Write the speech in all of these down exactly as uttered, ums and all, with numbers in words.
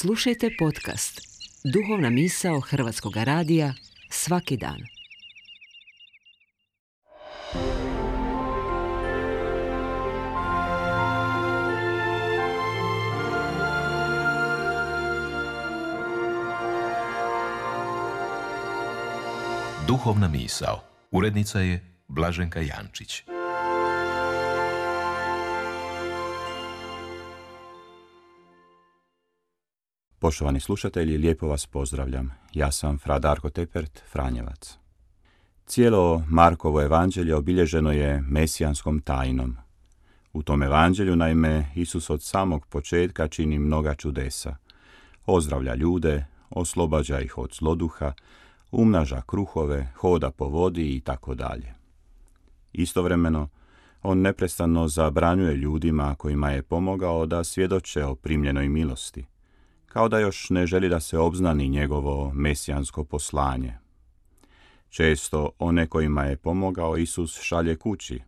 Slušajte podcast Duhovna misao Hrvatskog radija svaki dan. Duhovna misao. Urednica je Blaženka Jančić. Poštovani slušatelji, lijepo vas pozdravljam. Ja sam fra Darko Tepert, Franjevac. Cijelo Markovo evanđelje obilježeno je mesijanskom tajnom. U tom evanđelju, naime, Isus od samog početka čini mnoga čudesa. Ozdravlja ljude, oslobađa ih od zloduha, umnaža kruhove, hoda po vodi i tako dalje. Istovremeno, on neprestano zabranjuje ljudima kojima je pomogao da svjedoče o primljenoj milosti, kao da još ne želi da se obznani njegovo mesijansko poslanje. Često one kojima je pomogao Isus šalje kući,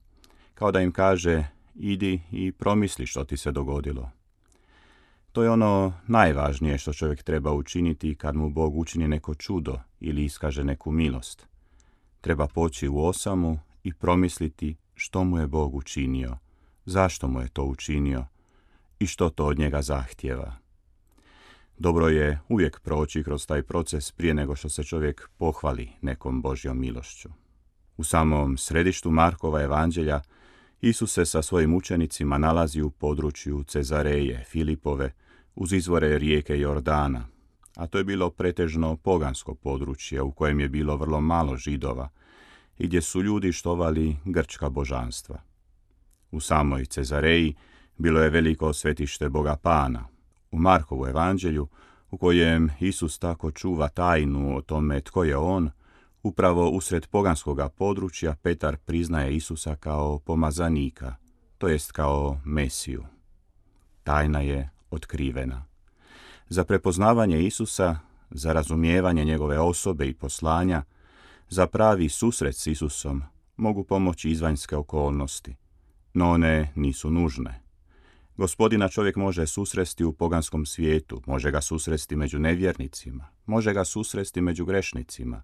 kao da im kaže: idi i promisli što ti se dogodilo. To je ono najvažnije što čovjek treba učiniti kad mu Bog učini neko čudo ili iskaže neku milost. Treba poći u osamu i promisliti što mu je Bog učinio, zašto mu je to učinio i što to od njega zahtijeva. Dobro je uvijek proći kroz taj proces prije nego što se čovjek pohvali nekom Božjom milošću. U samom središtu Markova evanđelja Isus se sa svojim učenicima nalazi u području Cezareje Filipove uz izvore rijeke Jordana, a to je bilo pretežno pogansko područje u kojem je bilo vrlo malo Židova i gdje su ljudi štovali grčka božanstva. U samoj Cezareji bilo je veliko svetište Boga Pana. U Markovu evanđelju, u kojem Isus tako čuva tajnu o tome tko je on, upravo usred poganskoga područja Petar priznaje Isusa kao pomazanika, to jest kao Mesiju. Tajna je otkrivena. Za prepoznavanje Isusa, za razumijevanje njegove osobe i poslanja, za pravi susret s Isusom mogu pomoći izvanjske okolnosti, no one nisu nužne. Gospodina čovjek može susresti u poganskom svijetu, može ga susresti među nevjernicima, može ga susresti među grešnicima,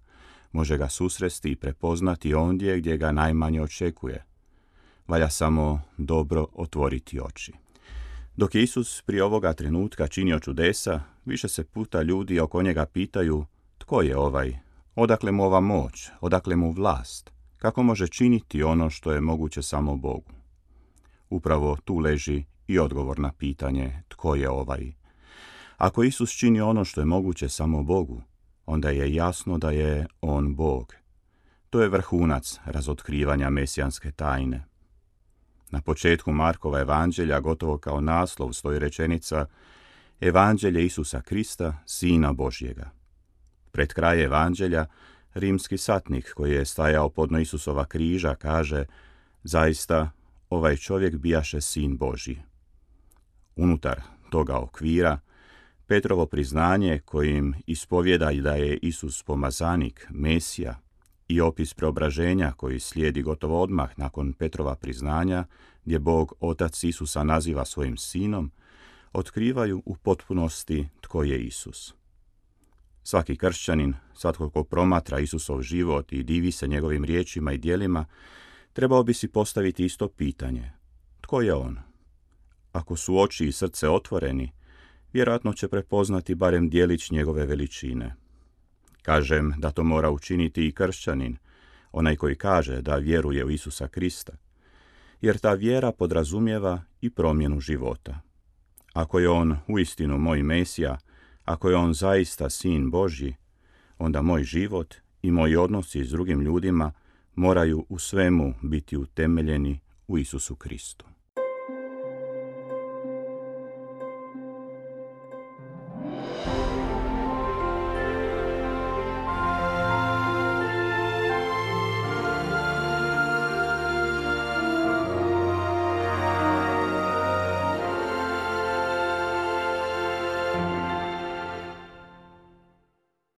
može ga susresti i prepoznati ondje gdje ga najmanje očekuje. Valja samo dobro otvoriti oči. Dok je Isus prije ovoga trenutka činio čudesa, više se puta ljudi oko njega pitaju: tko je ovaj? Odakle mu ova moć? Odakle mu vlast? Kako može činiti ono što je moguće samo Bogu? Upravo tu leži i odgovor na pitanje tko je ovaj. Ako Isus čini ono što je moguće samo Bogu, onda je jasno da je on Bog. To je vrhunac razotkrivanja mesijanske tajne. Na početku Markova evanđelja, gotovo kao naslov, stoji rečenica: Evanđelje Isusa Krista, Sina Božjega. Pred kraj evanđelja, rimski satnik koji je stajao podno Isusova križa kaže: zaista, ovaj čovjek bijaše Sin Božji. Unutar toga okvira, Petrovo priznanje kojim ispovjeda da je Isus pomazanik, Mesija, i opis preobraženja koji slijedi gotovo odmah nakon Petrova priznanja, gdje Bog Otac Isusa naziva svojim sinom, otkrivaju u potpunosti tko je Isus. Svaki kršćanin, svatko ko promatra Isusov život i divi se njegovim riječima i djelima, trebao bi si postaviti isto pitanje: tko je on? Ako su oči i srce otvoreni, vjerojatno će prepoznati barem djelić njegove veličine. Kažem da to mora učiniti i kršćanin, onaj koji kaže da vjeruje u Isusa Krista, jer ta vjera podrazumijeva i promjenu života. Ako je on uistinu moj Mesija, ako je on zaista Sin Božji, onda moj život i moji odnosi s drugim ljudima moraju u svemu biti utemeljeni u Isusu Kristu.